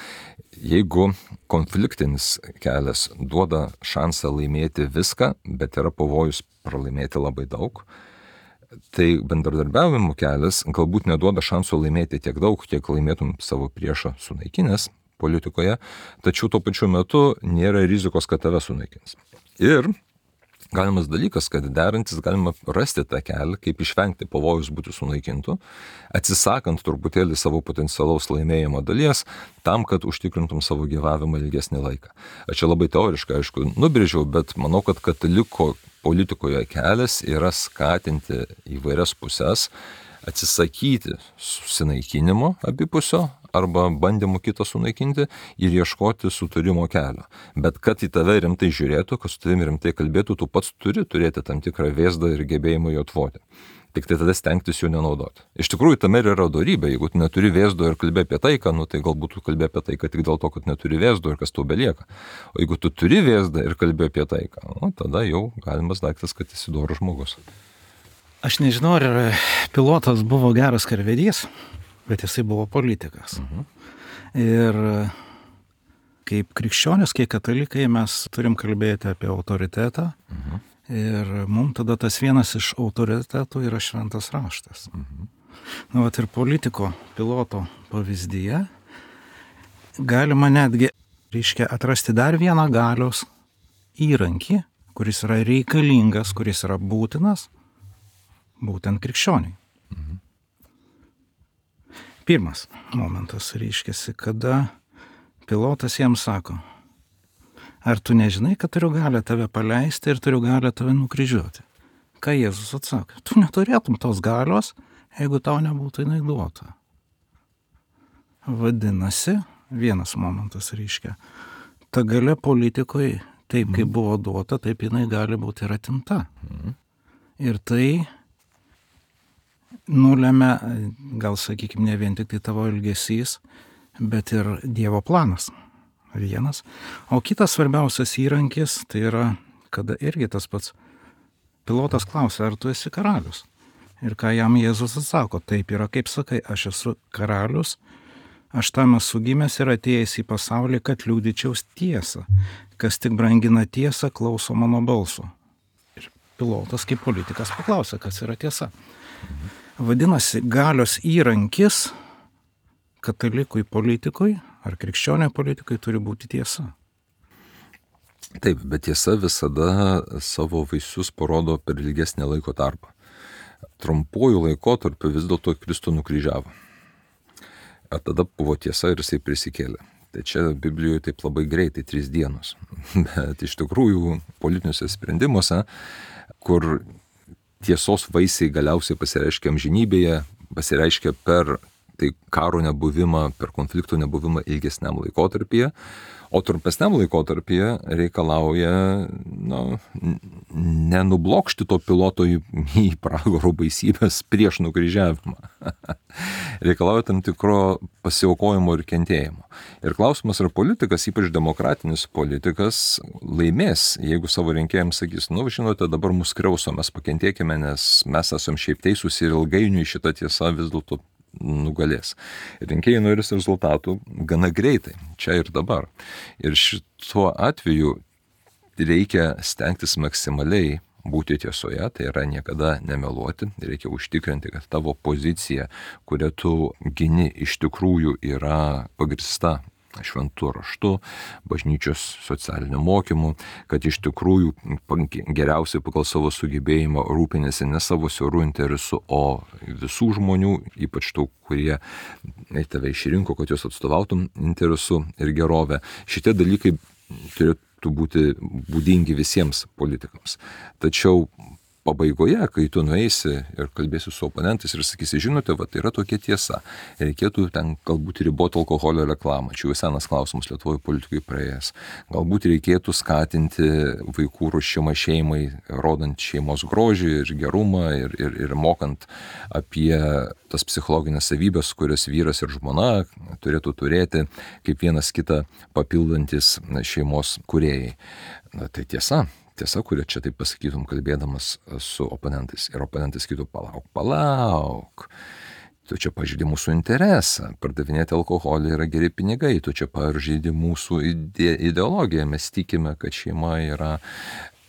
jeigu konfliktinis kelias duoda šansą laimėti viską, bet yra pavojus pralaimėti labai daug, tai bendradarbiavimo kelias galbūt neduoda šansų laimėti tiek daug, kiek laimėtum savo priešą sunaikinęs politikoje, tačiau tuo pačiu metu nėra rizikos, kad tave sunaikins. Ir galimas dalykas, kad derantis galima rasti tą kelią, kaip išvengti pavojus būti sunaikintų, atsisakant truputėlį savo potencialaus laimėjimo dalies, tam, kad užtikrintum savo gyvavimą ilgesnį laiką. Aš čia labai teoriškai, aišku, nubrėžiau, bet manau, kad kataliko politikoje kelias yra skatinti įvairias pusės, atsisakyti susinaikinimo abipusio arba bandymų kitą sunaikinti ir ieškoti sutarimo kelio. Bet kad į tave rimtai žiūrėtų, kad su tavimi rimtai kalbėtų, tu pats turi turėti tam tikrą vėzdą ir gebėjimą jo atvoti. Tik tai tada stengtis jų nenaudoti. Iš tikrųjų, tame yra dorybė. Jeigu tu neturi vėzdo ir kalbė apie taiką, tai galbūt tu kalbė apie taiką tik dėl to, kad neturi vėzdo ir kas tau belieka. O jeigu tu turi vėzdą ir kalbė apie taiką, tada jau galimas daiktas, kad esi dorus žmogus. Aš nežinau, ar pilotas buvo geras karvedys, bet jisai buvo politikas. Ir kaip krikščionis, kaip katalikai mes turim kalbėti apie autoritetą. Ir mums tada tas vienas iš autoritetų yra šventas raštas. Vat ir politiko, piloto pavyzdyje galima netgi, atrasti dar vieną galios įrankį, kuris yra reikalingas, kuris yra būtinas, būtent krikščioniai. Pirmas momentas reiškiasi, kada pilotas jam sako, ar tu nežinai, kad turiu galią tave paleisti ir turiu galią tave nukryžiuoti? Ką Jėzus atsakė? Tu neturėtum tos galios, jeigu tau nebūtų jinai duota. Vadinasi, vienas momentas reiškia, ta galia politikoje, taip kaip buvo duota, taip jinai gali būti ir atimta. Ir tai nulemia, gal sakykime, ne vien tik tai tavo elgesys, bet ir Dievo planas. Vienas. O kitas svarbiausias įrankis, tai yra, kada irgi tas pats pilotas klausia, ar tu esi karalius. Ir ką jam Jėzus atsako, taip yra, kaip sakai, aš esu karalius, aš tam esu gimęs ir atėjęs į pasaulį, kad liudyčiau tiesą. Kas tik brangina tiesą, klauso mano balso. Ir pilotas kaip politikas paklausia, kas yra tiesa. Vadinasi, galios įrankis katalikui politikui ar krikščioniai politikai turi būti tiesa. Taip, bet tiesa visada savo vaisius parodo per ilgesnį laiko tarpą. Trumpuoju laikotarpiu vis dėlto Kristų nukryžiavo. O tada buvo tiesa ir jisai prisikėlė. Tai čia Biblijoje taip labai greitai 3 dienos. Bet iš tikrųjų politiniuose sprendimuose, kur tiesos vaisiai galiausiai pasireiškia amžinybėje, pasireiškia per tai karo nebuvimą, per konfliktų nebuvimą ilgesniam laikotarpyje, o trumpesniam laikotarpyje reikalauja nenublokšti to piloto į pragaro baisybės prieš nukryžiavimą. Reikalauja tam tikro pasiaukojimo ir kentėjimo. Ir klausimas, ar politikas, ypač demokratinis politikas, laimės, jeigu savo rinkėjams sakys, žinote, dabar mus kriauso, mes pakentėkime, nes mes esam šiaip teisūs ir ilgainiui šita tiesa vis dėlto nugalės. Rinkėjai norės rezultatų gana greitai, čia ir dabar. Ir šituo atveju reikia stengtis maksimaliai būti tiesoje, tai yra niekada nemeluoti, reikia užtikrinti, kad tavo pozicija, kurią tu gini, iš tikrųjų yra pagrįsta šventu raštu, bažnyčios socialiniu mokymu, kad iš tikrųjų geriausiai pagal savo sugebėjimą rūpinasi ne savo siaurų interesų, o visų žmonių, ypač tų, kurie tave išrinko, kad jos atstovautum interesų ir gerovę. Šitie dalykai turėtų būti būdingi visiems politikams. Tačiau pabaigoje, kai tu nueisi ir kalbėsi su oponentais ir sakysi, žinote, tai yra tokia tiesa, reikėtų ten galbūt riboti alkoholio reklamą, čia jau senas klausimas Lietuvoje politikai praėjęs, galbūt reikėtų skatinti vaikų ruošimą šeimai, rodant šeimos grožį ir gerumą ir mokant apie tas psichologinės savybės, kurias vyras ir žmona turėtų turėti kaip vienas kitą papildantis šeimos kūrėjai. Tai tiesa, kurią čia taip pasakytum, kalbėdamas su oponentais. Ir oponentai sakytų, palauk, tu čia pažeidi mūsų interesą, pardavinėti alkoholį yra geri pinigai, tu čia pažeidi mūsų ideologiją, mes tikime, kad šeima yra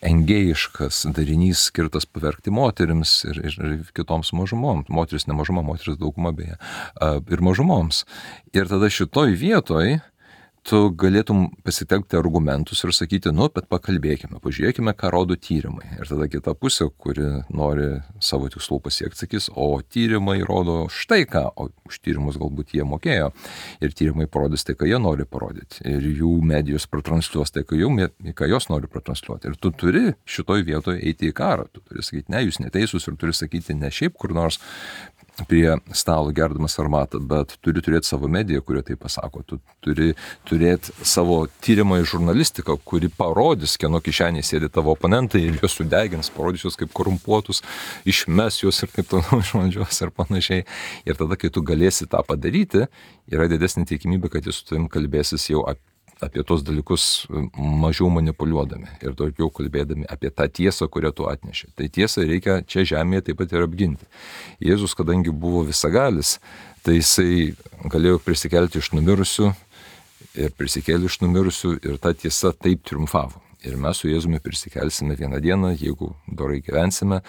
engėjiškas darinys skirtas pavergti moterims ir kitoms mažumoms. Moteris ne mažuma, moteris dauguma beje. Ir mažumoms. Ir tada šitoj vietoj tu galėtum pasitelkti argumentus ir sakyti, bet pakalbėkime, pažiūrėkime, ką rodo tyrimai. Ir tada kita pusė, kuri nori savo tikslų pasiekti, sakys, o tyrimai rodo štai ką, o už tyrimus galbūt jie mokėjo. Ir tyrimai parodys tai, ką jie nori parodyti. Ir jų medijos pratransliuos tai, ką jos nori pratransliuoti. Ir tu turi šitoj vietoje eiti į karą. Tu turi sakyti, ne, jūs neteisūs ir turi sakyti ne šiaip kur nors prie stalo gerdamas armatą, bet turi turėti savo mediją, kurie tai pasako. Tu turi turėti savo tyrimą į žurnalistiką, kuri parodys, kieno kišenėje sėdi tavo oponentai ir juos sudegins, parodys juos kaip korumpuotus, išmes juos ir kaip toliau iš valdžios ir panašiai. Ir tada, kai tu galėsi tą padaryti, yra didesnė tikimybė, kad jis su tavim kalbėsis jau apie tos dalykus mažiau manipuliuodami ir daugiau kalbėdami apie tą tiesą, kurią tu atneši. Tai tiesą reikia čia žemėje taip pat ir apginti. Jėzus, kadangi buvo visagalis, tai jisai galėjo prisikelti iš numirusių ir prisikėlė iš numirusių ir ta tiesa taip triumfavo. Ir mes su Jėzumi prisikelsime vieną dieną, jeigu dorai gyvensime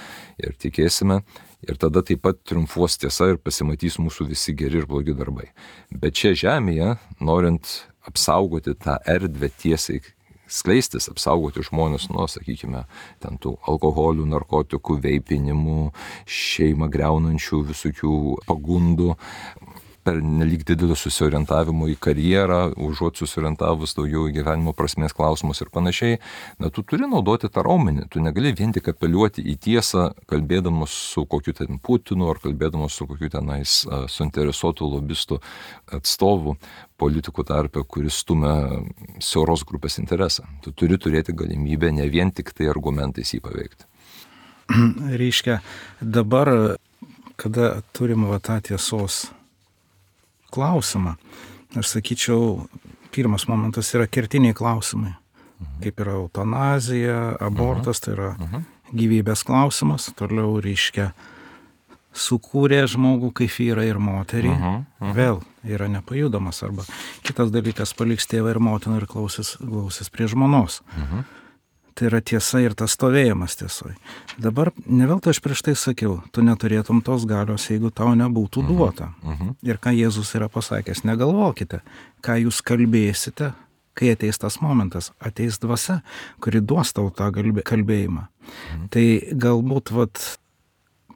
ir tikėsime. Ir tada taip pat triumfuos tiesa ir pasimatys mūsų visi geri ir blogi darbai. Bet čia žemėje, norint apsaugoti tą erdvę tiesiai skleistis, apsaugoti žmonės nuo, sakykime, ten tų alkoholių, narkotikų, veipinimų, šeimą greunančių visokių pagundų, per nelyg didelio susiorientavimo į karjerą, užuot susiorientavus daugiau į gyvenimo prasmės klausimus ir panašiai, tu turi naudoti tą raumenį. Tu negali vien tik apeliuoti į tiesą, kalbėdamas su kokiu ten Putinu ar kalbėdamas su kokiu tenais suinteresuotų lobistų atstovų politikų tarpe, kuris stumia siauros grupės interesą. Tu turi turėti galimybę ne vien tik tai argumentais jį paveikti. Reiškia, dabar, kada turim tą tiesos klausimą, aš sakyčiau, pirmas momentas yra kertiniai klausimai. Kaip yra eutanazija, abortas, tai yra gyvybės klausimas. Toliau reiškia, sukūrė žmogų kaip vyrą ir moterį, vėl yra nepajudamas. Arba kitas dalykas, paliks tėvą ir motiną ir klausis prie žmonos. Tai yra tiesa ir tas stovėjimas tiesoj. Dabar, ne veltui aš prieš tai sakiau, tu neturėtum tos galios, jeigu tau nebūtų duota. Ir ką Jėzus yra pasakęs, negalvokite, ką jūs kalbėsite, kai ateis tas momentas, ateis dvasia, kuri duos tau tą kalbėjimą. Tai galbūt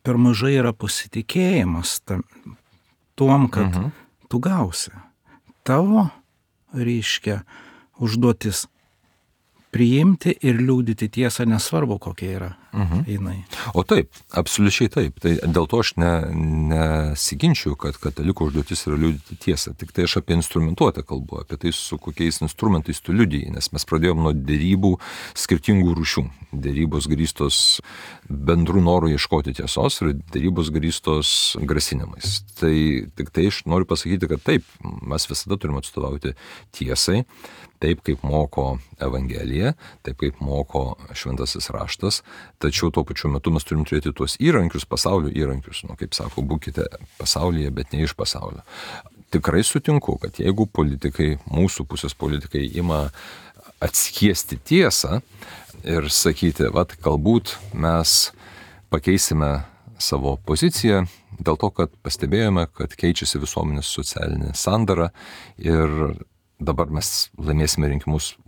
per mažai yra pasitikėjimas tuom, kad tu gausi. Tavo, reiškia, užduotis priimti ir liūdyti tiesą, nesvarbu kokia yra jinai. O taip, absoliučiai taip. Tai dėl to aš nesiginčiu, kad kataliko užduotis yra liūdyti tiesą. Tik tai aš apie instrumentuotę kalbu, apie tai, su kokiais instrumentais tu liudiji, nes mes pradėjom nuo derybų skirtingų rūšių. Derybos grįstos bendrų norų ieškoti tiesos ir derybos grįstos grasinimais. Tai tik tai aš noriu pasakyti, kad taip, mes visada turime atstovauti tiesai, taip kaip moko Evangelija, taip kaip moko Šventasis raštas, tačiau tuo pačiu metu mes turim turėti tuos įrankius, pasaulio įrankius, kaip sako, būkite pasaulyje, bet ne iš pasaulio. Tikrai sutinku, kad jeigu politikai, mūsų pusės politikai ima atskiesti tiesą ir sakyti, galbūt mes pakeisime savo poziciją dėl to, kad pastebėjome, kad keičiasi visuomenės socialinė sandara ir dabar mes laimėsime rinkimus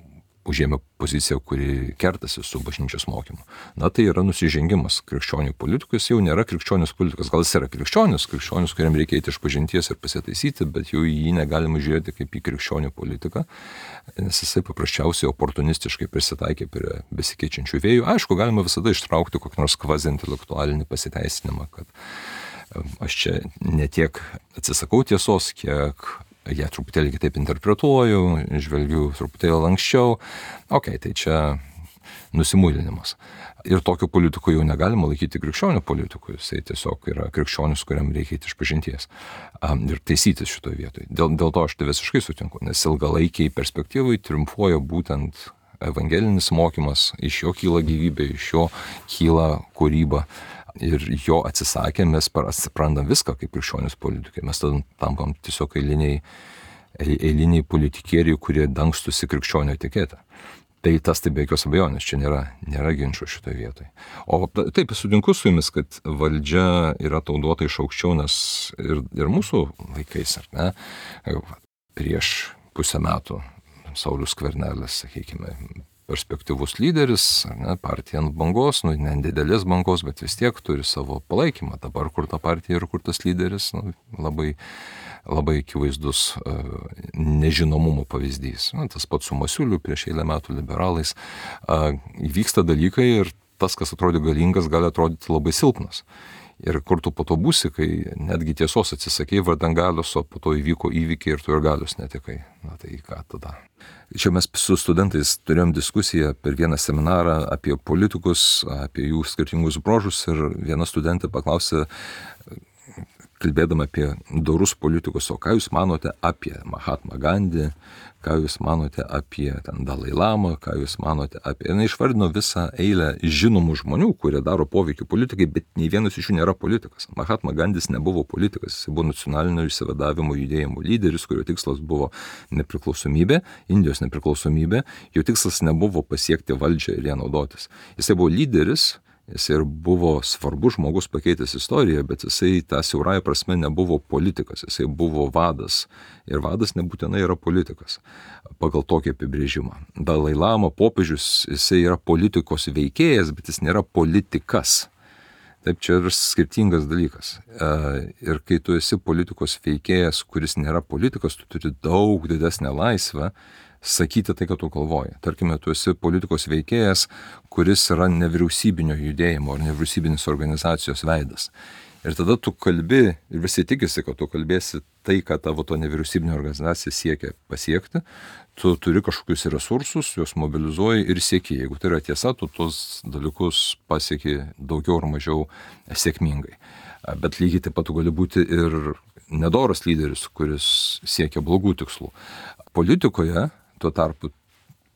užėmę poziciją, kuri kertasi su bažnyčios mokymu. Na, tai yra nusižengimas krikščionių politikos, jau nėra krikščionis politikas, gal jis yra krikščionis, kuriam reikia eiti iš pažinties ir pasitaisyti, bet jau jį negalima žiūrėti kaip į krikščionių politiką, nes jisai paprasčiausiai oportunistiškai prisitaikė prie besikeičiančių vėjų. Aišku, galima visada ištraukti kokį nors kvazi-intelektualinį pasiteisinimą, kad aš čia ne tiek atsisakau tiesos, kiek ją truputėlį kitaip interpretuoju, žvelgiu truputėlį lanksčiau. Tai čia nusimuilinimas. Ir tokio politiko jau negalima laikyti krikščionių politikų, jisai tiesiog yra krikščionis, kuriam reikia eiti iš pažinties ir taisytis šitoje vietoje. Dėl to aš tai visiškai sutinku, nes ilgalaikiai perspektyvai triumfuoja būtent evangelinis mokymas, iš jo kyla gyvybė, iš jo kyla kūryba. Ir jo atsisakę mes atsiprantam viską kaip krikščionis politikai. Mes tada tampam tiesiog eiliniai politikieriai, kurie dangstusi krikščionio etiketę. Tai tas tai be jokios abejonės, čia nėra ginčų šitoje vietoje. O taip, sutinku su jumis, kad valdžia yra tau duota iš aukščiau, nes ir mūsų laikais, ar ne, prieš pusę metų Saulius Skvernelis, sakykime, perspektyvus lyderis, ne, partija ant bangos, ne didelės bangos, bet vis tiek turi savo palaikymą. Dabar kur ta partija ir kur tas lyderis, labai, labai akivaizdus nežinomumo pavyzdys. Tas pats su Masiuliu prieš eilę metų liberalais. Vyksta dalykai ir tas, kas atrodė galingas, gali atrodyti labai silpnas. Ir kur tu po to būsi, kai netgi tiesos atsisakei vardan galios, o po to įvyko įvykiai ir tu ir galios netekai. Na tai ką tada? Čia mes su studentais turėjom diskusiją per vieną seminarą apie politikus, apie jų skirtingus bruožus ir viena studentė paklausė, kalbėdama apie dorus politikus, o ką jūs manote apie Mahatma Gandhi, ką jūs manote apie Dalai Lamą, ką jūs manote apie... Ir išvardino visą eilę žinomų žmonių, kurie daro poveikį politikai, bet nei vienas iš jų nėra politikas. Mahatma Gandhis nebuvo politikas, jis buvo nacionalinio išsivadavimo judėjimo lyderis, kurio tikslas buvo nepriklausomybė, Indijos nepriklausomybė, jo tikslas nebuvo pasiekti valdžią ir ją naudotis. Jisai buvo lyderis, jis ir buvo svarbus žmogus pakeitęs istoriją, bet jisai tą siaurąją prasme nebuvo politikas, jisai buvo vadas. Ir vadas nebūtinai yra politikas, pagal tokį apibrėžimą. Dalai Lama, popiežius, jisai yra politikos veikėjas, bet jis nėra politikas. Taip, čia yra skirtingas dalykas. Ir kai tu esi politikos veikėjas, kuris nėra politikas, tu turi daug didesnę laisvę sakyti tai, ką tu galvoji. Tarkime, tu esi politikos veikėjas, kuris yra nevyriausybinio judėjimo ar nevyriausybinės organizacijos veidas. Ir tada tu kalbi ir visi tikisi, kad tu kalbėsi tai, ką tavo to nevyriausybinė organizacija siekia pasiekti. Tu turi kažkokius resursus, juos mobilizuoji ir sieki. Jeigu tai yra tiesa, tu tos dalykus pasieki daugiau ar mažiau sėkmingai. Bet lygiai taip pat tu gali būti ir nedoras lyderis, kuris siekia blogų tikslų. Politikoje tuo tarpu,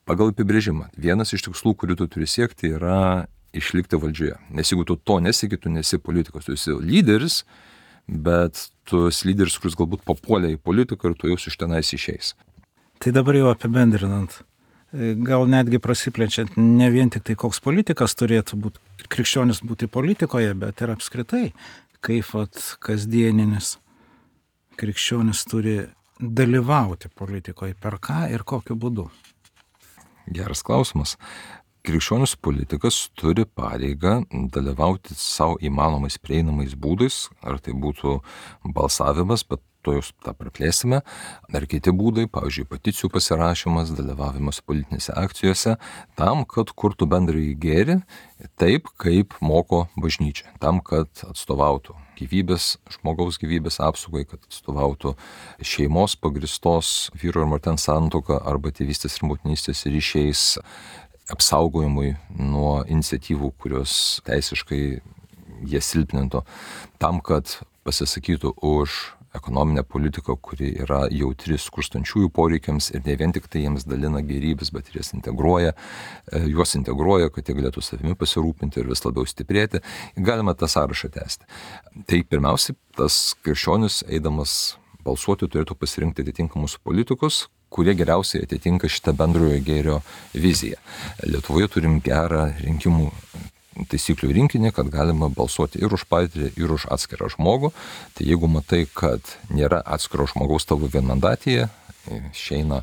pagal apibrėžimą, vienas iš tikslų, kurį tu turi siekti, yra išlikti valdžioje. Nes jeigu tu to nesieki, tu nesi politikas, tu esi lyderis, bet tu esi lyderis, kuris galbūt papuolė į politiką ir tu jau iš tenais išeis. Tai dabar jau apibendrinant, gal netgi prasiplečiant, ne vien tik tai koks politikas turėtų būti, krikščionis būti politikoje, bet ir apskritai, kaip kasdieninis krikščionis turi dalyvauti politikoje, per ką ir kokiu būdu? Geras klausimas. Krikščionis politikas turi pareigą dalyvauti savo įmanomais prieinamais būdais, ar tai būtų balsavimas, bet to jūs tą praplėsime, ar kiti būdai, pavyzdžiui, peticijų pasirašymas, dalyvavimas politinėse akcijose, tam, kad kurtų bendrąjį gėrį taip, kaip moko bažnyčia, tam, kad atstovautų žmogaus gyvybės apsaugai, kad atstovautų šeimos pagristos vyro ir moters santuoką arba tėvystės ir motinystės ryšiais apsaugojimui nuo iniciatyvų, kurios teisiškai jie silpnintų, tam, kad pasisakytų už ekonominę politiką, kuri yra jautri skurstančiųjų poreikiams ir ne vien tik tai jiems dalina gėrybės, bet ir juos integruoja, kad jie galėtų savimi pasirūpinti ir vis labiau stiprėti. Galima tą sąrašą tęsti. Tai pirmiausiai, tas krikščionis, eidamas balsuoti, turėtų pasirinkti atitinkamus politikus, kurie geriausiai atitinka šitą bendrojo gėrio viziją. Lietuvoje turim gerą rinkimų taisyklių rinkinį, kad galima balsuoti ir už partiją, ir už atskirą žmogų. Tai jeigu matai, kad nėra atskiro žmogaus tavo vienmandatėje, išeina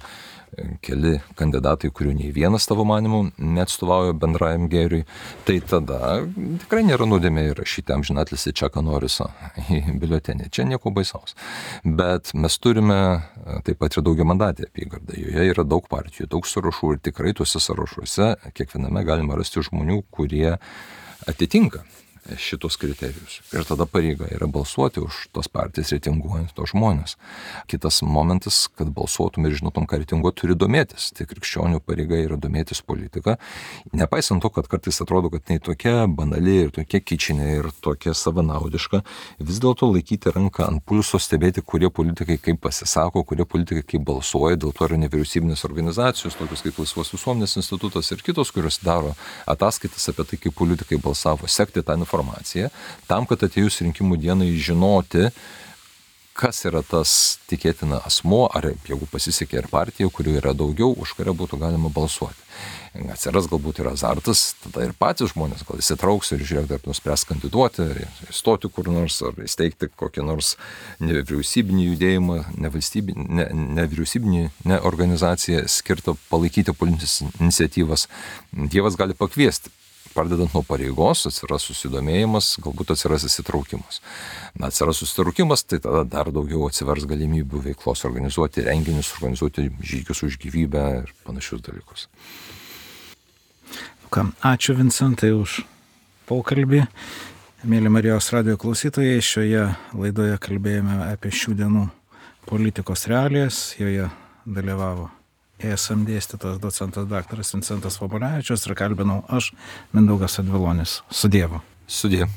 keli kandidatai, kurių nei vienas tavo manimu neatstovauja bendrajam gėriui, tai tada tikrai nėra nuodėmė įrašyti amžinatilsį Čaką Noriso į biuletenį. Čia nieko baisaus. Bet mes turime taip pat ir daugiamandatę apygardą. Joje yra daug partijų, daug sąrašų ir tikrai tuose sąrašuose kiekviename galima rasti žmonių, kurie atitinka šitos kriterijus. Ir tada pareiga yra balsuoti už tos partijas, reitinguojant tos žmonės. Kitas momentas, kad balsuotum ir žinotum, ką reitinguoti, turi domėtis. Tai krikščionių pareiga yra domėtis politika. Nepaisant to, kad kartais atrodo, kad tai tokia banali ir tokia kičinė ir tokia savanaudiška, vis dėlto laikyti ranką ant pulso, stebėti, kurie politikai kaip pasisako, kurie politikai kaip balsuoja. Dėl to yra nevyriausybinės organizacijos, tokios kaip Laisvos visuomenės institutas ir kitos, kurios daro ataskaitas apie tai, kaip politikai balsavo, sekti tą informaciją, tam, kad atėjus rinkimų dienai žinoti, kas yra tas tikėtina asmuo, ar jeigu pasisekė ir partija, kurių yra daugiau, už kurią būtų galima balsuoti. Atsiras galbūt ir azartas, tada ir patys žmonės gal įsitrauks ir žiūrėk, dar nuspręs kandiduoti, įstoti kur nors, ar įsteigti kokį nors nevyriausybinį judėjimą, nevyriausybinį organizaciją skirtą palaikyti politinės iniciatyvas. Dievas gali pakviesti. Pradedant nuo pareigos, atsiras susidomėjimas, galbūt atsiras įsitraukimas. Atsiras susitraukimas, tai tada dar daugiau atsivers galimybių veiklos organizuoti renginius, organizuoti žygius už gyvybę ir panašius dalykus. Ačiū Vincentai už pokalbį. Mėly Marijos radijo klausytojai, šioje laidoje kalbėjome apie šių dienų politikos realijas, joje dalyvavo ESM dėstytojas docentas daktaras Vincentas Vobolevičius ir kalbinau aš, Mindaugas Advilonis. Su Dievu. Sudie.